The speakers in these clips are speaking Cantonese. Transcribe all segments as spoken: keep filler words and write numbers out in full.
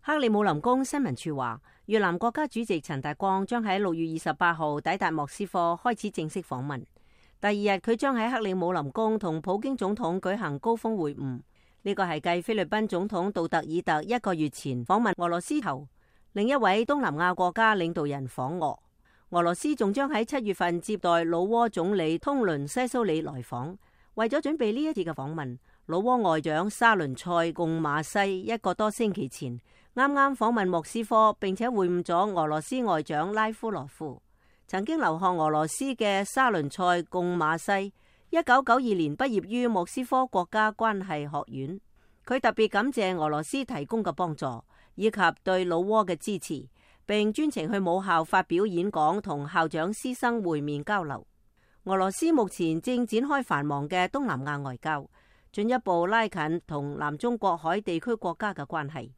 克里姆林宮新聞處話，越南國家主席陳大光將喺六月二十八號抵達莫斯科開始正式訪問。第二日佢將喺克里姆林宮同普京總統舉行高峰會晤。呢個係繼菲律賓總統杜特爾特一個月前訪問俄羅斯後，另一位東南亞國家領導人訪俄。俄羅斯仲將喺七月份接待老撾總理通倫西蘇里來訪。為咗準備呢一次嘅訪問，老撾外長沙倫塞貢馬西一個多星期前啱啱訪問莫斯科，並且會晤咗俄羅斯外長拉夫羅夫。曾經留學俄羅斯嘅沙倫塞貢馬西，一九九二年畢業於莫斯科國家關係學院。佢特別感謝俄羅斯提供嘅幫助，以及對老撾嘅支持，並專程去母校發表演講，同校長師生會面交流。俄羅斯目前正展開繁忙嘅東南亞外交，進一步拉近同南中國海地區國家嘅關係。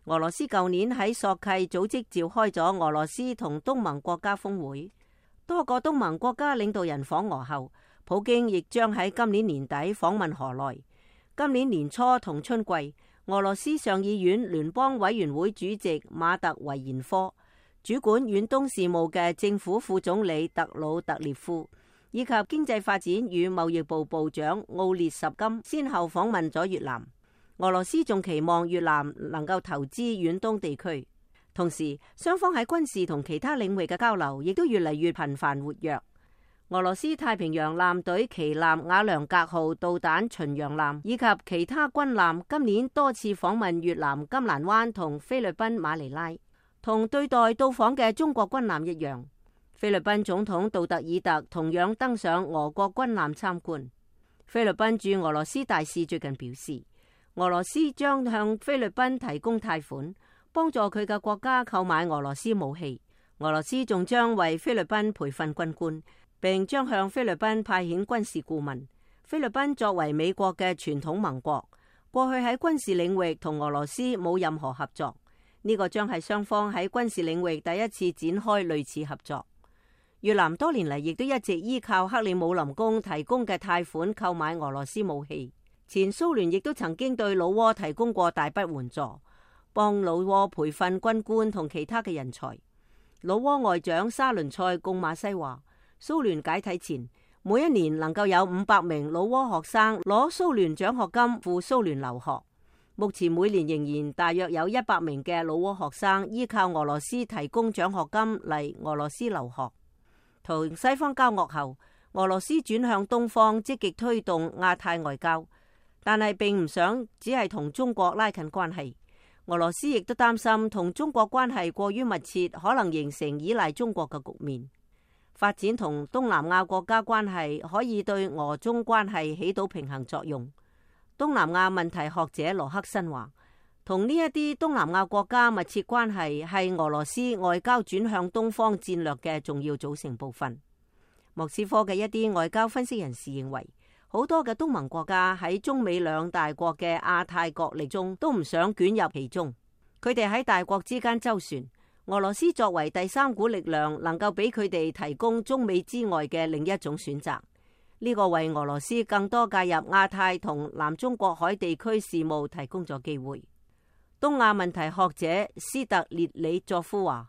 俄羅斯舊年喺索契組織召開咗俄羅斯同東盟國家峰會，多個東盟國家領導人訪俄後，普京亦將喺今年年底訪問河內。今年年初同春季，俄羅斯上議院聯邦委員會主席馬特維延科、主管遠東事務嘅政府副總理特魯特列夫，以及經濟發展與貿易部部長奧列什金先後訪問咗越南。俄羅斯仲期望越南能夠投資遠東地區，同時雙方喺軍事同其他領域嘅交流亦都越嚟越頻繁活躍。俄羅斯太平洋艦隊旗艦瓦良格號導彈巡洋艦以及其他軍艦今年多次訪問越南金蘭灣同菲律賓馬尼拉，同對待到訪嘅中國軍艦一樣。菲律賓總統杜特爾特同樣登上俄國軍艦參觀。菲律賓駐俄羅斯大使最近表示，俄羅斯將向菲律賓提供貸款，幫助佢嘅國家購買俄羅斯武器。俄羅斯仲將為菲律賓培訓軍官，並將向菲律賓派遣軍事顧問。菲律賓作為美國嘅傳統盟國，過去喺軍事領域同俄羅斯冇任何合作，呢個將係雙方喺軍事領域第一次展開類似合作。越南多年嚟亦都一直依靠克里姆林宮提供嘅貸款購買俄羅斯武器。前蘇聯亦都曾經對老撾提供過大筆援助，幫老撾培訓軍官同其他嘅人才。老撾外長沙倫塞貢馬西話，蘇聯解體前，每一年能夠有五百名老撾學生攞蘇聯獎學金赴蘇聯留學。目前每年仍然大約有一百名嘅老撾學生依靠俄羅斯提供獎學金嚟俄羅斯留學。同西方交惡後，俄羅斯轉向東方，積極推動亞太外交。但係並唔想只係同中國拉近關係，俄羅斯亦都擔心同中國關係過於密切，可能形成依賴中國嘅局面。發展同東南亞國家關係可以對俄中關係起到平衡作用。東南亞問題學者羅克森話，同呢一啲東南亞國家密切關係係俄羅斯外交轉向東方戰略嘅重要組成部分。莫斯科嘅一啲外交分析人士認為，好多嘅東盟國家喺中美兩大國嘅亞太角力中都唔想捲入其中，佢哋喺大國之間周旋。俄羅斯作為第三股力量，能夠俾佢哋提供中美之外嘅另一種選擇。呢個為俄羅斯更多介入亞太同南中國海地區事務提供咗機會。東亞問題學者斯特列里佐夫話，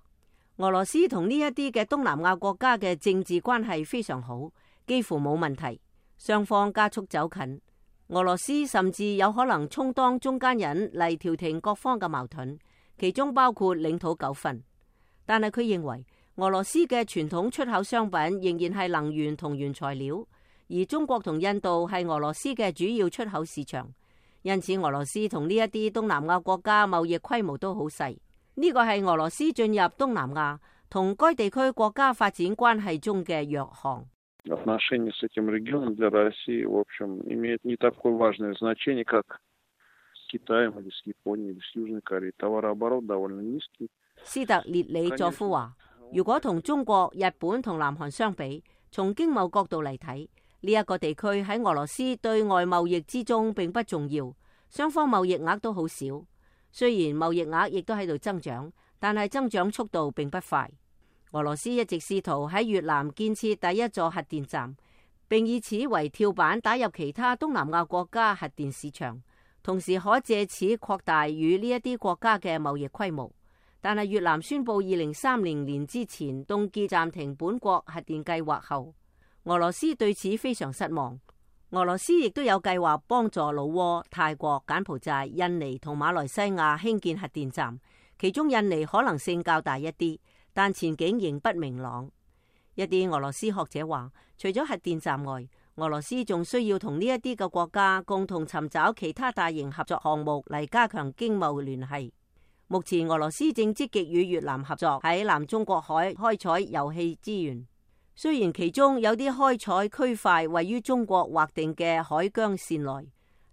俄羅斯同呢一啲嘅東南亞國家嘅政治關係非常好，幾乎冇問題。雙方加速走近，俄羅斯甚至有可能充當中間人嚟調停各方嘅矛盾，其中包括領土糾紛。但係佢認為，俄羅斯嘅傳統出口商品仍然係能源同原材料，而中國同印度係俄羅斯嘅主要出口市場，因此俄羅斯同呢一啲東南亞國家貿易規模都好細。呢個係俄羅斯進入東南亞同該地區國家發展關係中嘅弱項。Отношения с этим регионом для России, в общем, имеют не такое важное значение, как с Китаем или с Японией или с Южной Кореей. Товарооборот довольно низкий. 斯特列里佐夫話，如果同中國、日本同南韓相比，從經貿角度嚟睇，呢一個地區喺俄羅斯對外貿易之中並不重要，雙方貿易額都好少。雖然貿易額亦都喺度增長，但係增長速度並不快。俄羅斯一直試圖喺越南建設第一座核電站，並以此為跳板打入其他東南亞國家核電市場，同時可借此擴大與呢一啲國家嘅貿易規模。但係越南宣布二零三零年之前凍結暫停本國核電計劃後，俄羅斯對此非常失望。俄羅斯亦都有計劃幫助老撾、泰國、柬埔寨、印尼同馬來西亞興建核電站，其中印尼可能性較大一啲，但前景仍不明朗。一啲俄羅斯學者話，除咗核電站外，俄羅斯仲需要同呢一啲嘅國家共同尋找其他大型合作項目嚟加強經貿聯繫。目前俄羅斯正積極與越南合作喺南中國海開採油氣資源。雖然其中有啲開採區塊位於中國劃定嘅海疆線內，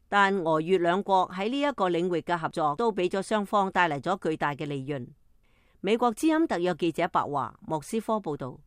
但俄越兩國喺呢一個領域嘅合作都俾咗雙方帶嚟咗巨大嘅利潤。美國之音特約記者白華莫斯科報道。